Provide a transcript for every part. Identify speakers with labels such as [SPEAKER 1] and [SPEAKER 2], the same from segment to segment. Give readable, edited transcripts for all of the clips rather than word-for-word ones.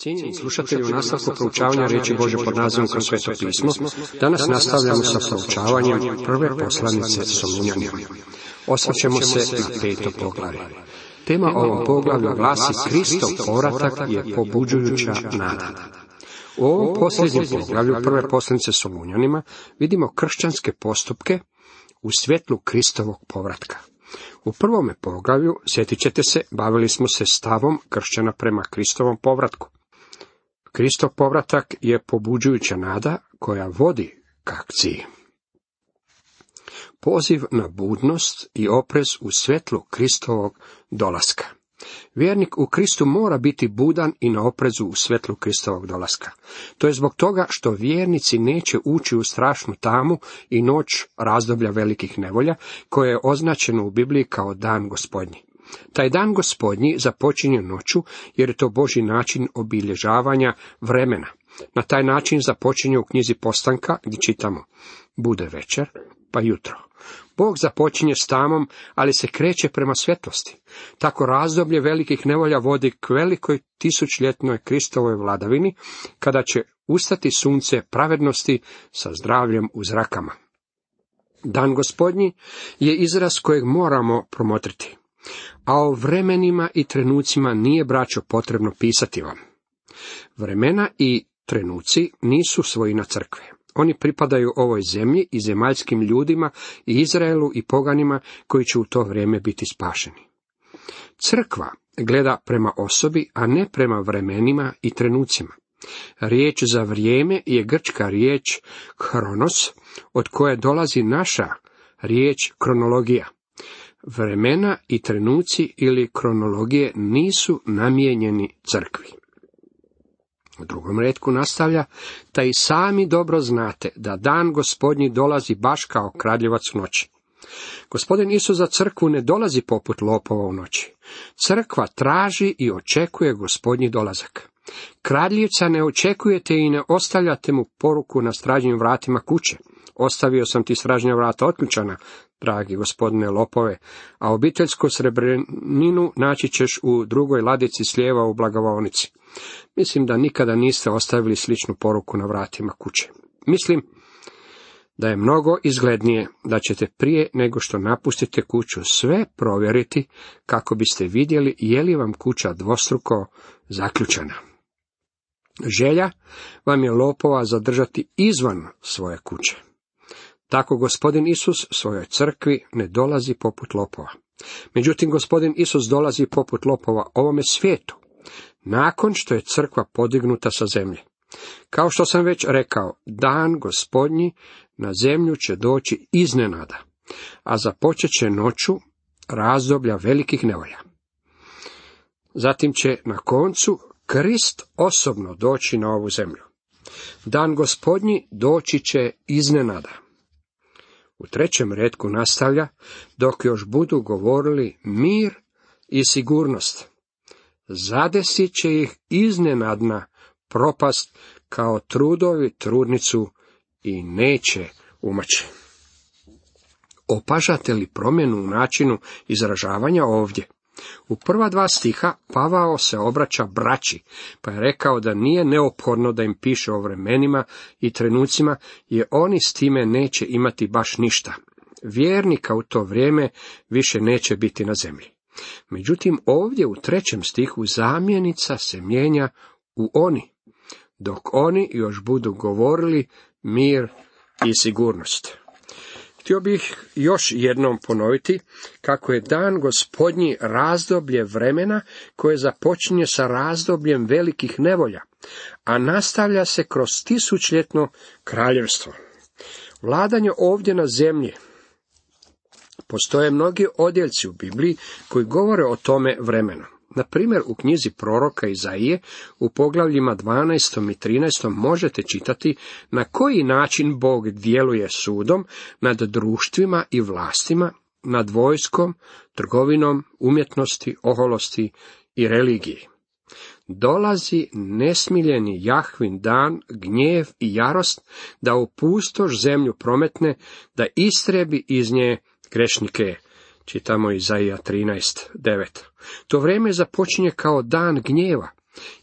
[SPEAKER 1] Cijenjeni slušatelji, u nastavku proučavanja riječi Božje pod nazivom Kroz sveto pismo, danas nastavljamo sa proučavanjem prve poslanice Solunjanima. Osvrćemo se na 5. poglavlje. Tema ovom poglavlju glasi: Kristov povratak je pobuđujuća nada. U ovom posljednjem poglavlju prve poslanice Solunjanima vidimo kršćanske postupke u svjetlu Kristovog povratka. U prvome poglavlju, sjetit ćete se, bavili smo se stavom kršćana prema Kristovom povratku. Kristov povratak je pobuđujuća nada koja vodi k akciji. Poziv na budnost i oprez u svjetlu Kristovog dolaska. Vjernik u Kristu mora biti budan i na oprezu u svjetlu Kristovog dolaska. To je zbog toga što vjernici neće ući u strašnu tamu i noć razdoblja velikih nevolja, koje je označeno u Bibliji kao dan Gospodnji. Taj dan Gospodnji započinje noću, jer je to Božji način obilježavanja vremena. Na taj način započinje u knjizi Postanka, gdje čitamo: bude večer, pa jutro. Bog započinje s tamom, ali se kreće prema svjetlosti. Tako razdoblje velikih nevolja vodi k velikoj tisućljetnoj Kristovoj vladavini, kada će ustati sunce pravednosti sa zdravljem u zrakama. Dan Gospodnji je izraz kojeg moramo promotriti. A o vremenima i trenucima nije, braćo, potrebno pisati vam. Vremena i trenuci nisu svojina crkve. Oni pripadaju ovoj zemlji i zemaljskim ljudima i Izraelu i poganima koji će u to vrijeme biti spašeni. Crkva gleda prema osobi, a ne prema vremenima i trenucima. Riječ za vrijeme je grčka riječ hronos, od koje dolazi naša riječ kronologija. Vremena i trenuci ili kronologije nisu namijenjeni crkvi. U drugom retku nastavlja: da i sami dobro znate da dan Gospodnji dolazi baš kao kradljivac u noći. Gospodin Isus za crkvu ne dolazi poput lopova u noći. Crkva traži i očekuje Gospodnji dolazak. Kradljivca ne očekujete i ne ostavljate mu poruku na stražnjim vratima kuće: ostavio sam ti stražnja vrata otključana, dragi gospodine lopove, a obiteljsku srebrninu naći ćeš u drugoj ladici slijeva u blagovaonici. Mislim da nikada niste ostavili sličnu poruku na vratima kuće. Mislim da je mnogo izglednije da ćete prije nego što napustite kuću sve provjeriti, kako biste vidjeli je li vam kuća dvostruko zaključana. Želja vam je lopova zadržati izvan svoje kuće. Tako Gospodin Isus svojoj crkvi ne dolazi poput lopova. Međutim, Gospodin Isus dolazi poput lopova ovome svijetu, nakon što je crkva podignuta sa zemlje. Kao što sam već rekao, dan Gospodnji na zemlju će doći iznenada, a započet će noću razdoblja velikih nevolja. Zatim će na koncu Krist osobno doći na ovu zemlju. Dan Gospodnji doći će iznenada. U trećem retku nastavlja: dok još budu govorili mir i sigurnost, zadesit će ih iznenadna propast kao trudovi trudnicu i neće umaći. Opažate li promjenu u načinu izražavanja ovdje? U prva 2 stiha Pavao se obraća braći, pa je rekao da nije neophodno da im piše o vremenima i trenucima, jer oni s time neće imati baš ništa. Vjernika u to vrijeme više neće biti na zemlji. Međutim, ovdje u 3. stihu zamjenica se mijenja u oni, dok oni još budu govorili mir i sigurnost. Htio bih još jednom ponoviti kako je dan Gospodnji razdoblje vremena koje započinje sa razdobljem velikih nevolja, a nastavlja se kroz tisućljetno kraljevstvo. Vladanje ovdje na zemlji. Postoje mnogi odjeljci u Bibliji koji govore o tome vremenu. Na primjer, u knjizi proroka Izaije u poglavljima 12. i 13. možete čitati na koji način Bog djeluje sudom nad društvima i vlastima, nad vojskom, trgovinom, umjetnosti, oholosti i religiji. Dolazi nesmiljeni Jahvin dan, gnjev i jarost, da u pustoš zemlju prometne, da istrebi iz nje grešnike. Čitamo Izaija 13:9. To vrijeme započinje kao dan gnjeva,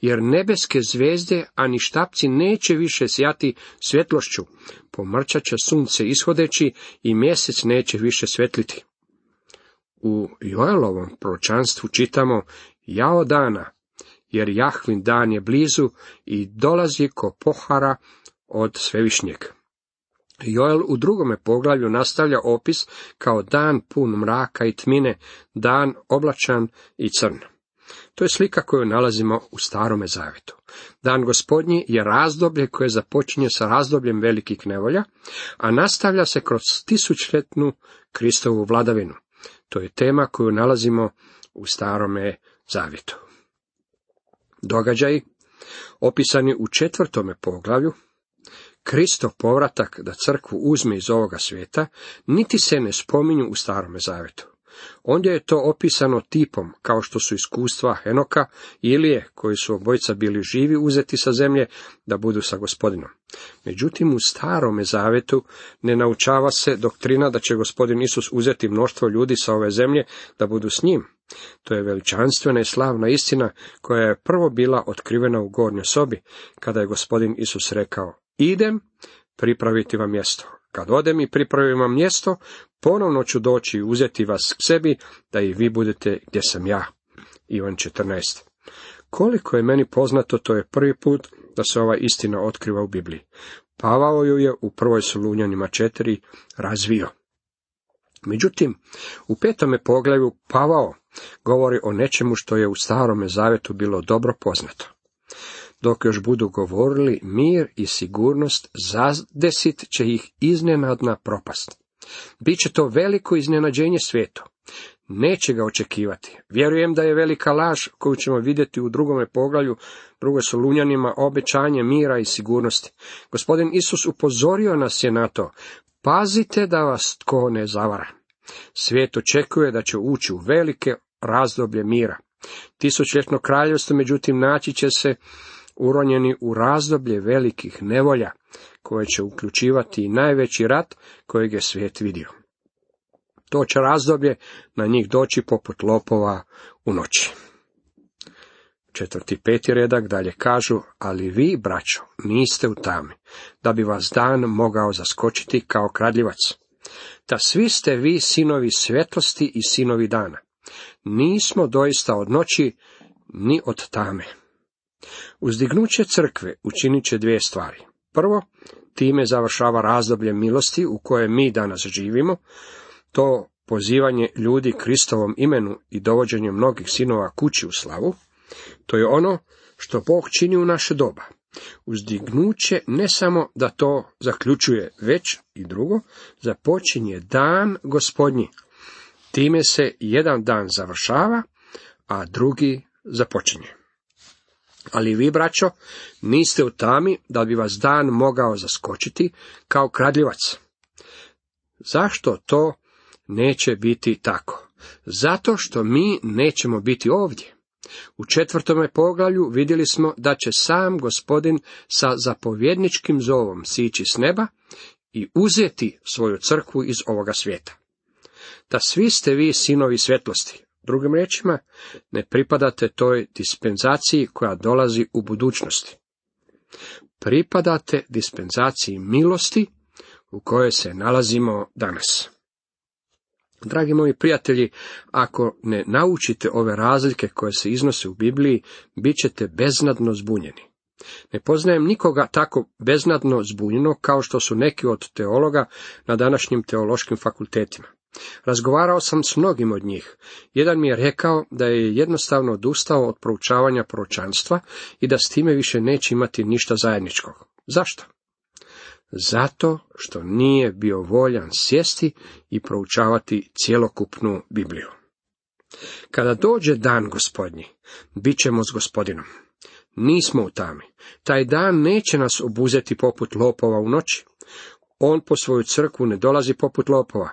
[SPEAKER 1] jer nebeske zvezde, ani štapci neće više sjati svjetlošću, pomrčat će sunce ishodeći i mjesec neće više svetliti. U Joelovom proročanstvu čitamo: jao dana, jer Jahvin dan je blizu i dolazi ko pohara od Svevišnjeg. Joel u 2. poglavlju nastavlja opis kao dan pun mraka i tmine, dan oblačan i crn. To je slika koju nalazimo u Starome Zavetu. Dan Gospodnji je razdoblje koje započinje sa razdobljem velikih nevolja, a nastavlja se kroz 1000-ljetnu Kristovu vladavinu. To je tema koju nalazimo u Starome Zavjetu. Događaji, opisani u 4. poglavlju, Kristov povratak da crkvu uzme iz ovoga svijeta, niti se ne spominju u Starome Zavetu. Ondje je to opisano tipom, kao što su iskustva Henoka i Ilije, koji su obojica bili živi uzeti sa zemlje da budu sa Gospodinom. Međutim, u Starome Zavetu ne naučava se doktrina da će Gospodin Isus uzeti mnoštvo ljudi sa ove zemlje da budu s njim. To je veličanstvena i slavna istina koja je prvo bila otkrivena u gornjoj sobi, kada je Gospodin Isus rekao: idem pripraviti vam mjesto. Kad odem i pripravim vam mjesto, ponovno ću doći i uzeti vas k sebi, da i vi budete gdje sam ja. Ivan 14. Koliko je meni poznato, to je prvi put da se ova istina otkriva u Bibliji. Pavao ju je u 1. Solunjanima 4 razvio. Međutim, u 5. poglavlju Pavao govori o nečemu što je u Starome Zavetu bilo dobro poznato. Dok još budu govorili, mir i sigurnost zadesit će ih iznenadna propast. Biće to veliko iznenađenje svijetu. Neće ga očekivati. Vjerujem da je velika laž koju ćemo vidjeti u 2. poglavlju, 2. Solunjanima, obećanje mira i sigurnosti. Gospodin Isus upozorio nas je na to: pazite da vas tko ne zavara. Svijet očekuje da će ući u velike razdoblje mira. 1000-ljetno kraljevstvo, međutim, naći će se uronjeni u razdoblje velikih nevolja, koje će uključivati i najveći rat kojeg je svijet vidio. To će razdoblje na njih doći poput lopova u noći. 4. i 5. redak dalje kažu: ali vi, braćo, niste u tami, da bi vas dan mogao zaskočiti kao kradljivac. Da svi ste vi sinovi svjetlosti i sinovi dana. Nismo doista od noći, ni od tame. Uzdignuće crkve učinit će 2 stvari. Prvo, time završava razdoblje milosti u kojem mi danas živimo. To pozivanje ljudi Kristovom imenu i dovođenje mnogih sinova kući u slavu, to je ono što Bog čini u naše doba. Uzdignuće ne samo da to zaključuje, već i drugo, započinje dan Gospodnji. Time se jedan dan završava, a drugi započinje. Ali vi, braćo, niste u tami da bi vas dan mogao zaskočiti kao kradljivac. Zašto to neće biti tako? Zato što mi nećemo biti ovdje. U 4. poglavlju vidjeli smo da će sam Gospodin sa zapovjedničkim zovom sići s neba i uzeti svoju crkvu iz ovoga svijeta. Da svi ste vi sinovi svjetlosti. Drugim riječima, ne pripadate toj dispenzaciji koja dolazi u budućnosti. Pripadate dispenzaciji milosti u kojoj se nalazimo danas. Dragi moji prijatelji, ako ne naučite ove razlike koje se iznose u Bibliji, bit ćete beznadno zbunjeni. Ne poznajem nikoga tako beznadno zbunjeno kao što su neki od teologa na današnjim teološkim fakultetima. Razgovarao sam s mnogim od njih. Jedan mi je rekao da je jednostavno odustao od proučavanja proročanstva i da s time više neće imati ništa zajedničkog. Zašto? Zato što nije bio voljan sjesti i proučavati cjelokupnu Bibliju. Kada dođe dan Gospodnji, bit ćemo s Gospodinom. Nismo u tami. Taj dan neće nas obuzeti poput lopova u noći. On po svoju crkvu ne dolazi poput lopova.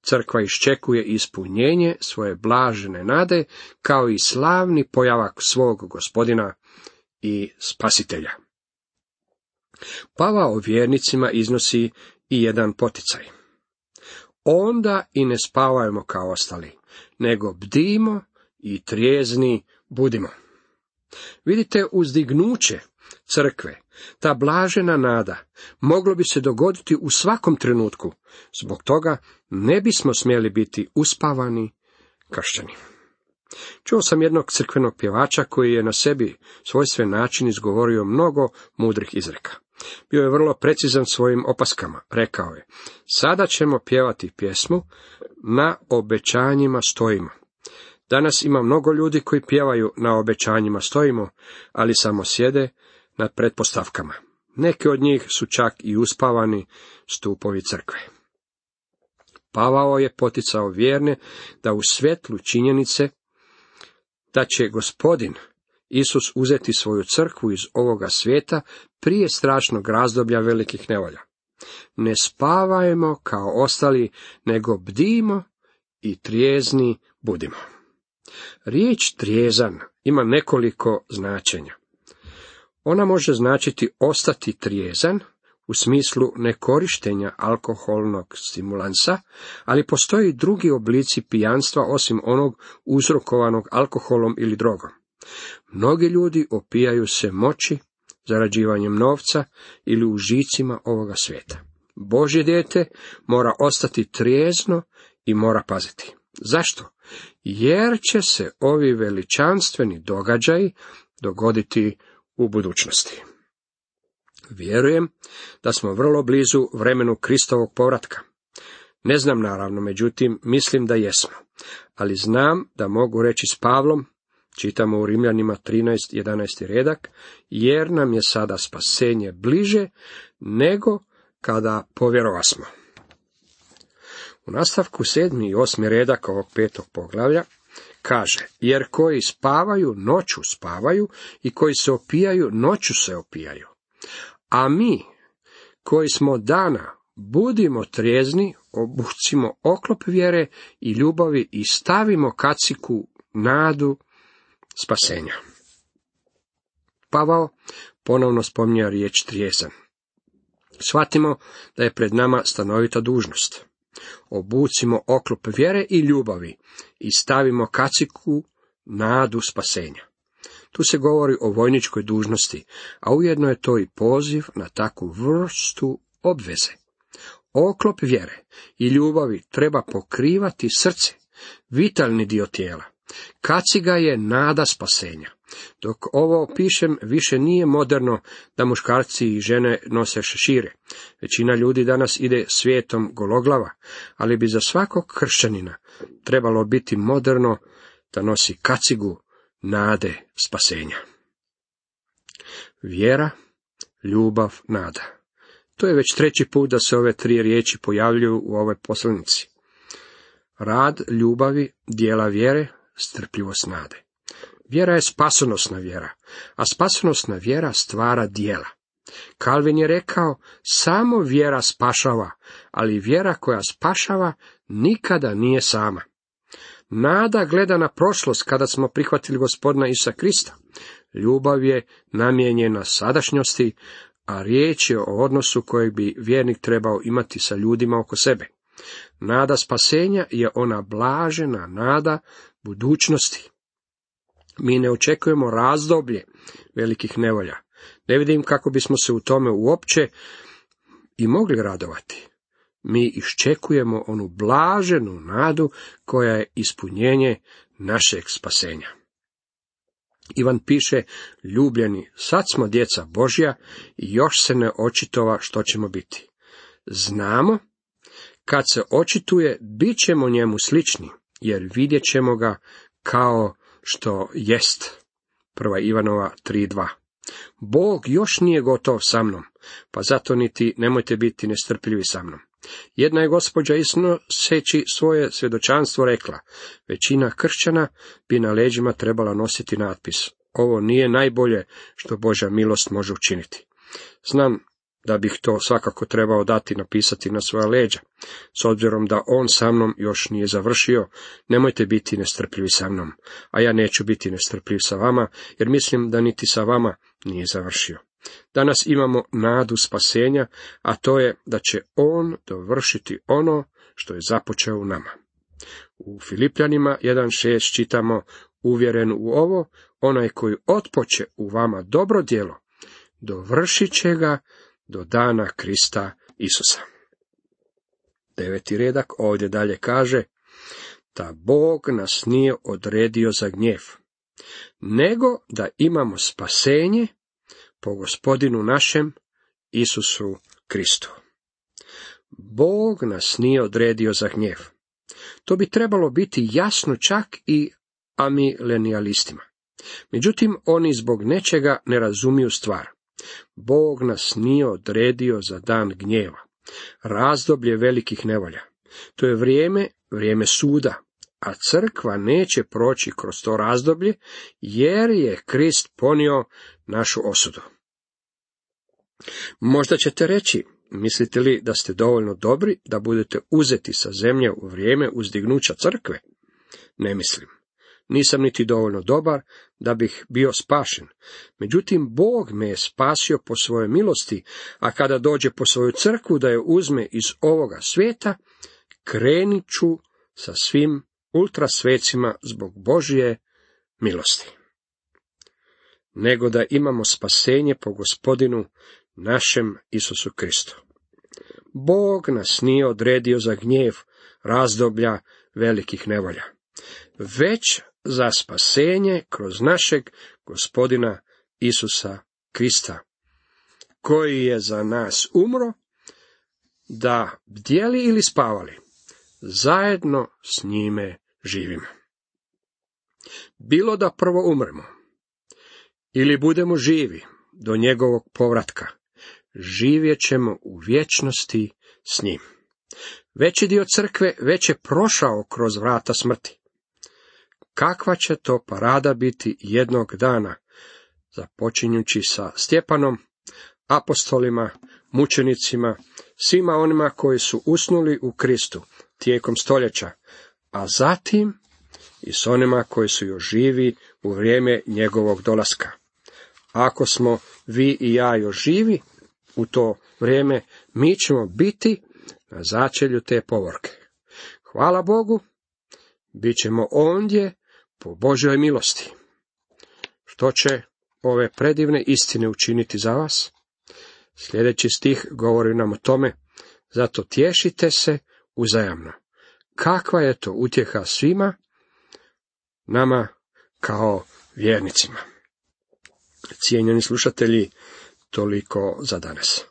[SPEAKER 1] Crkva iščekuje ispunjenje svoje blažene nade, kao i slavni pojavak svog Gospodina i Spasitelja. Pavao vjernicima iznosi i jedan poticaj. Onda i ne spavajmo kao ostali, nego bdimo i trijezni budimo. Vidite, uzdignuće crkve, ta blažena nada, moglo bi se dogoditi u svakom trenutku. Zbog toga ne bismo smjeli biti uspavani kršćani. Čuo sam jednog crkvenog pjevača koji je na sebi svojstven način izgovorio mnogo mudrih izreka. Bio je vrlo precizan svojim opaskama. Rekao je: sada ćemo pjevati pjesmu Na obećanjima stojimo. Danas ima mnogo ljudi koji pjevaju Na obećanjima stojimo, ali samo sjede na pretpostavkama. Neki od njih su čak i uspavani stupovi crkve. Pavao je poticao vjerne da u svjetlu činjenice da će Gospodin Isus uzeti svoju crkvu iz ovoga svijeta prije strašnog razdoblja velikih nevolja. Ne spavajmo kao ostali, nego bdimo i trijezni budimo. Riječ trijezan ima nekoliko značenja. Ona može značiti ostati trijezan, u smislu nekorištenja alkoholnog stimulansa, ali postoji drugi oblici pijanstva osim onog uzrokovanog alkoholom ili drogom. Mnogi ljudi opijaju se moći, zarađivanjem novca ili užicima ovoga svijeta. Božje dijete mora ostati trijezno i mora paziti. Zašto? Jer će se ovi veličanstveni događaji dogoditi u budućnosti. Vjerujem da smo vrlo blizu vremenu Kristovog povratka. Ne znam naravno, međutim, mislim da jesmo. Ali znam da mogu reći s Pavlom, čitamo u Rimljanima 13:11 redak, jer nam je sada spasenje bliže nego kada povjerovasmo. U nastavku 7. i 8. redak ovog 5. poglavlja kaže: jer koji spavaju, noću spavaju, i koji se opijaju, noću se opijaju. A mi, koji smo dana, budimo trijezni, obucimo oklop vjere i ljubavi i stavimo kacigu nadu spasenja. Pavao ponovno spominje riječ trijezan. Shvatimo da je pred nama stanovita dužnost. Obucimo oklop vjere i ljubavi i stavimo kacigu nadu spasenja. Tu se govori o vojničkoj dužnosti, a ujedno je to i poziv na takvu vrstu obveze. Oklop vjere i ljubavi treba pokrivati srce, vitalni dio tijela. Kaciga je nada spasenja. Dok ovo pišem, više nije moderno da muškarci i žene nose šešire. Većina ljudi danas ide svijetom gologlava, ali bi za svakog kršćanina trebalo biti moderno da nosi kacigu nade spasenja. Vjera, ljubav, nada. To je već treći put da se ove tri riječi pojavljuju u ovoj poslanici. Rad ljubavi, djela vjere, strpljivost nade. Vjera je spasonosna vjera, a spasonosna vjera stvara djela. Kalvin je rekao, samo vjera spašava, ali vjera koja spašava nikada nije sama. Nada gleda na prošlost kada smo prihvatili Gospodina Isusa Krista. Ljubav je namijenjena sadašnjosti, a riječ je o odnosu kojeg bi vjernik trebao imati sa ljudima oko sebe. Nada spasenja je ona blažena nada budućnosti. Mi ne očekujemo razdoblje velikih nevolja. Ne vidim kako bismo se u tome uopće i mogli radovati. Mi iščekujemo onu blaženu nadu koja je ispunjenje našeg spasenja. Ivan piše, ljubljeni, sad smo djeca Božja i još se ne očitova što ćemo biti. Znamo, kad se očituje, bit ćemo njemu slični, jer vidjet ćemo ga kao što jest. 1. Ivanova 3:2. Bog još nije gotov sa mnom, pa zato niti nemojte biti nestrpljivi sa mnom. Jedna je gospođa iznoseći svoje svjedočanstvo rekla, većina kršćana bi na leđima trebala nositi natpis, ovo nije najbolje što Božja milost može učiniti. Znam da bih to svakako trebao dati napisati na svoja leđa. S obzirom da on sa mnom još nije završio, nemojte biti nestrpljivi sa mnom, a ja neću biti nestrpljiv sa vama, jer mislim da niti sa vama nije završio. Danas imamo nadu spasenja, a to je da će on dovršiti ono što je započeo u nama. U Filipljanima 1:6 čitamo, uvjeren u ovo, onaj koji otpoče u vama dobro djelo, dovršit će ga do dana Krista Isusa. 9. redak ovdje dalje kaže, da Bog nas nije odredio za gnjev, nego da imamo spasenje po Gospodinu našem Isusu Kristu. Bog nas nije odredio za gnjev. To bi trebalo biti jasno čak i amilenijalistima. Međutim, oni zbog nečega ne razumiju stvar. Bog nas nije odredio za dan gnjeva, razdoblje velikih nevolja. To je vrijeme suda, a crkva neće proći kroz to razdoblje, jer je Krist ponio našu osudu. Možda ćete reći, mislite li da ste dovoljno dobri da budete uzeti sa zemlje u vrijeme uzdignuća crkve? Ne mislim. Nisam niti dovoljno dobar da bih bio spašen. Međutim, Bog me je spasio po svojoj milosti, a kada dođe po svoju crkvu da je uzme iz ovoga svijeta, krenit ću sa svim ultrasvecima zbog Božje milosti. Nego da imamo spasenje po Gospodinu našem Isusu Kristu. Bog nas nije odredio za gnjev razdoblja velikih nevolja, već za spasenje kroz našeg Gospodina Isusa Krista, koji je za nas umro, da bdjeli ili spavali, zajedno s njime živimo. Bilo da prvo umremo, ili budemo živi do njegovog povratka, živjet ćemo u vječnosti s njim. Veći dio crkve već je prošao kroz vrata smrti. Kakva će to parada biti jednog dana, započinjući sa Stjepanom, apostolima, mučenicima, svima onima koji su usnuli u Kristu tijekom stoljeća, a zatim i s onima koji su još živi u vrijeme njegovog dolaska. Ako smo vi i ja još živi u to vrijeme, mi ćemo biti na začelju te povorke. Hvala Bogu, bit ćemo ondje po Božjoj milosti. Što će ove predivne istine učiniti za vas? Sljedeći stih govori nam o tome, zato tješite se uzajamno. Kakva je to utjeha svima nama kao vjernicima. Cijenjeni slušatelji, toliko za danas.